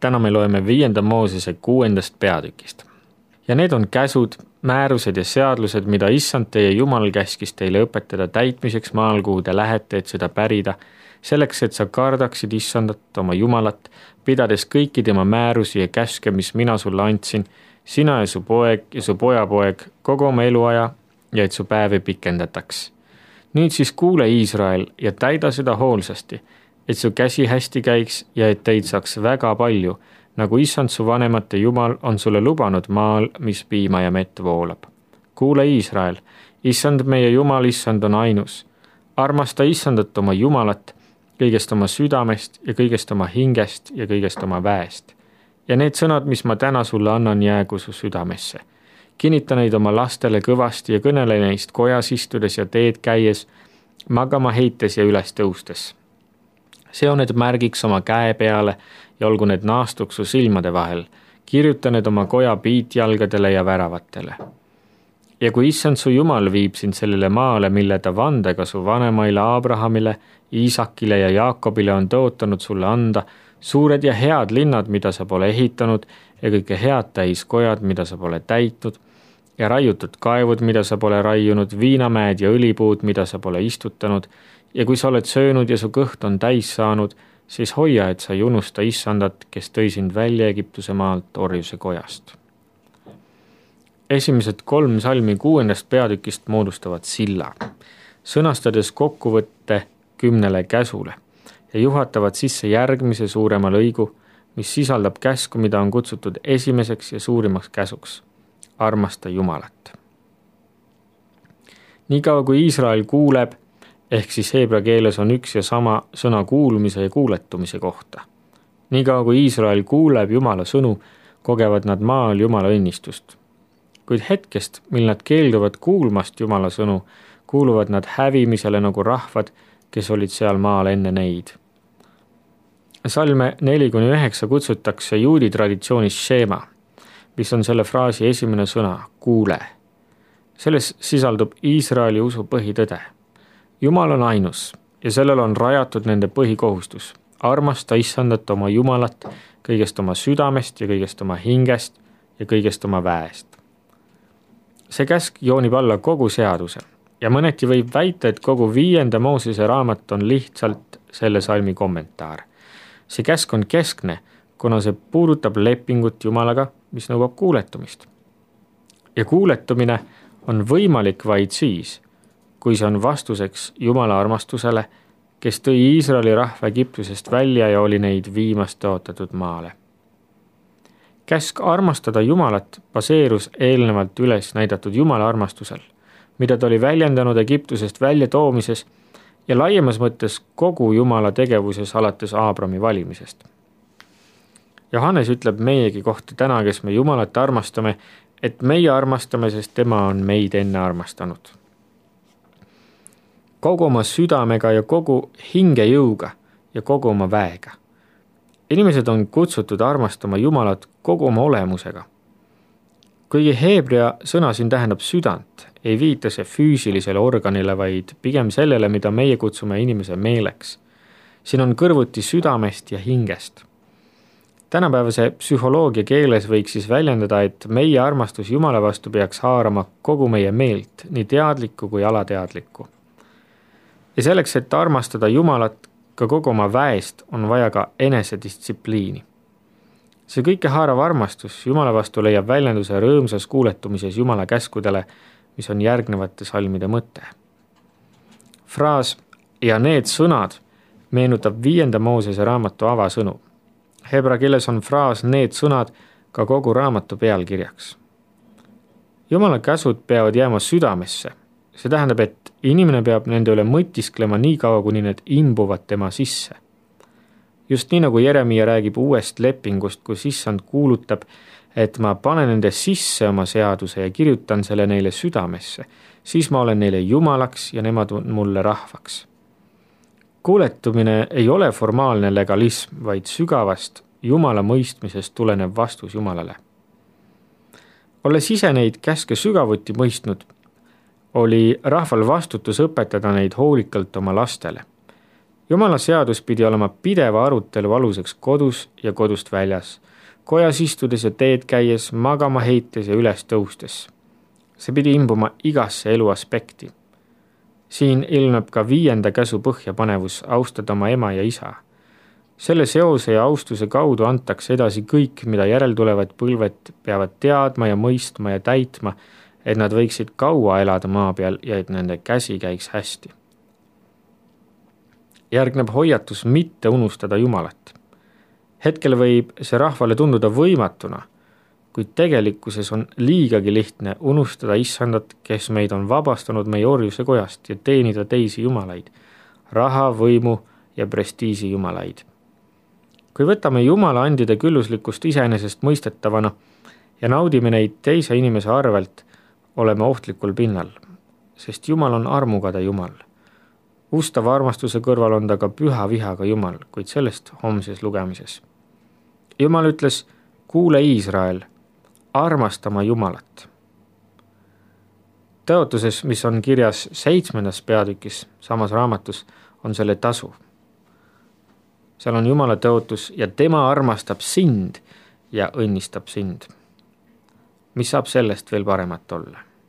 Täna me loeme 5. Moosese 6. peatükist. Ja need on käsud, määrused ja seadlused, mida Issand teie Jumal käskis teile õpetada täitmiseks maal, kuhu te lähete, et seda pärida, selleks, et sa kardaksid Issandat oma Jumalat, pidades kõiki tema määrusi ja käske, mis mina sulle andsin, sina ja su poeg ja su pojapoeg kogu oma eluaja ja et su päevi pikendataks. Nüüd siis kuule, Iisrael, ja täida seda hoolsasti, et su käsi hästi käiks ja et teid saaks väga palju, nagu Issand su vanemate Jumal on sulle lubanud maal, mis piima ja mett voolab. Kuule, Iisrael, Issand meie Jumal, Issand on ainus. Armasta Issandat oma Jumalat kõigest oma südamest ja kõigest oma hingest ja kõigest oma väest. Ja need sõnad, mis ma täna sulle annan, jäägu su südamesse. Kinnita neid oma lastele kõvasti ja kõnele neist kojas istudes ja teed käies, magama heites ja üles tõustes. See on need märgiks oma käe peale ja olgu need naastuks su silmade vahel. Kirjuta need oma koja piitjalgadele ja väravatele. Ja kui Issand su Jumal viib sind sellele maale, mille ta vandega su vanemaile Abrahamile, Iisakile ja Jaakobile on tõotanud sulle anda, suured ja head linnad, mida sa pole ehitanud, ja kõike head täiskojad, mida sa pole täitnud, ja raiutud kaevud, mida sa pole raiunud, viinamäed ja õlipuud, mida sa pole istutanud, ja kui sa oled söönud ja su kõht on täis saanud, siis hoia, et sa ei unusta Issandat, kes tõi sind välja Egiptuse maalt orjuse kojast. Esimesed 3 salmi 6. peatükist moodustavad silla, sõnastades kokkuvõtte 10 käsule ja juhatavad sisse järgmise suurema lõigu, mis sisaldab käsku, mida on kutsutud esimeseks ja suurimaks käsuks. Armasta Jumalat. Niikaua kui Iisrael kuuleb, ehk siis heebrea keeles on üks ja sama sõna kuulmise ja kuuletumise kohta. Niikaua kui Iisrael kuuleb Jumala sõnu, kogevad nad maal Jumala õnnistust. Kuid hetkest, mil nad keelduvad kuulmast Jumala sõnu, kuuluvad nad hävimisele nagu rahvad, kes olid seal maal enne neid. Salme 4-9 kutsutakse juudi traditsioonis šeema, mis on selle fraasi esimene sõna, kuule. Selles sisaldub Iisraeli usu põhitõde. Jumal on ainus ja sellel on rajatud nende põhikohustus. Armasta Issandat oma Jumalat kõigest oma südamest ja kõigest oma hingest ja kõigest oma väest. See käsk joonib alla kogu seaduse ja mõneti võib väita, et kogu 5. Moosese raamat on lihtsalt selle salmi kommentaar. See käsk on keskne, kuna see puudutab lepingut Jumalaga, mis nõuab kuuletumist. Ja kuuletumine on võimalik vaid siis, kui see on vastuseks Jumala armastusele, kes tõi Iisraeli rahva Egiptusest välja ja oli neid viimast tõotatud maale. Käsk armastada Jumalat baseerus eelnevalt üles näidatud Jumala armastusel, mida ta oli väljendanud Egiptusest väljatoomises ja laiemas mõttes kogu Jumala tegevuses alates Aabrami valimisest. Johannes ütleb meiegi kohta täna, kes me Jumalat armastame, et meie armastame, sest tema on meid enne armastanud. Kogu oma südamega ja kogu hingejõuga ja kogu oma väega. Inimesed on kutsutud armastama Jumalat kogu oma olemusega. Kuigi heebrea sõna siin tähendab südant, ei viita see füüsilisele organile, vaid pigem sellele, mida meie kutsume inimese meeleks. Siin on kõrvuti südamest ja hingest. Tänapäevase psühholoogia keeles võiks siis väljendada, et meie armastus Jumala vastu peaks haarama kogu meie meelt, nii teadlikku kui alateadlikku. Ja selleks, et armastada Jumalat ka kogu oma väest, on vaja ka enesedistsipliini. See kõike haarav armastus Jumala vastu leiab väljenduse rõõmsas kuuletumises Jumala käskudele, mis on järgnevate salmide mõte. Fraas ja need sõnad meenutab 5. Moosese raamatu avasõnu. Hebra keeles on fraas need sõnad ka kogu raamatu pealkirjaks. Jumala käsud peavad jääma südamesse. See tähendab, et inimene peab nende üle mõtisklema nii kaua, kuni need imbuvad tema sisse. Just nii nagu Jeremia räägib uuest lepingust, kus Issand kuulutab, et ma panen nende sisse oma seaduse ja kirjutan selle neile südamesse, siis ma olen neile Jumalaks ja nemad on mulle rahvaks. Kuuletumine ei ole formaalne legalism, vaid sügavast Jumala mõistmisest tulenev vastus Jumalale. Olles ise neid käske sügavuti mõistnud, oli rahval vastutus õpetada neid hoolikalt oma lastele. Jumala seadus pidi olema pideva arutelu aluseks kodus ja kodust väljas, kojas istudes ja teed käies, magama heites ja üles tõustes. See pidi imbuma igasse elu aspekti. Siin ilmneb ka 5. käsu põhjapanevus austada oma ema ja isa. Selle seose ja austuse kaudu antakse edasi kõik, mida järeltulevad põlved peavad teadma ja mõistma ja täitma, et nad võiksid kaua elada maa peal ja et nende käsi käiks hästi. Järgneb hoiatus mitte unustada Jumalat. Hetkel võib see rahvale tunduda võimatuna, kuid tegelikkuses on liigagi lihtne unustada Issandat, kes meid on vabastanud meie orjuse kojast ja teenida teisi jumalaid, raha, võimu ja prestiisi jumalaid. Kui võtame Jumala andide külluslikkust iseenesest mõistetavana ja naudime neid teise inimese arvelt, oleme ohtlikul pinnal, sest Jumal on armukade Jumal. Ustava armastuse kõrval on ta ka püha vihaga Jumal, kuid sellest homses lugemises. Jumal ütles, kuule Iisrael, armastama Jumalat. Tõotuses, mis on kirjas 7. peatükis samas raamatus, on selle tasu. Seal on Jumala tõotus ja tema armastab sind ja õnnistab sind. Mis saab sellest veel paremat olla?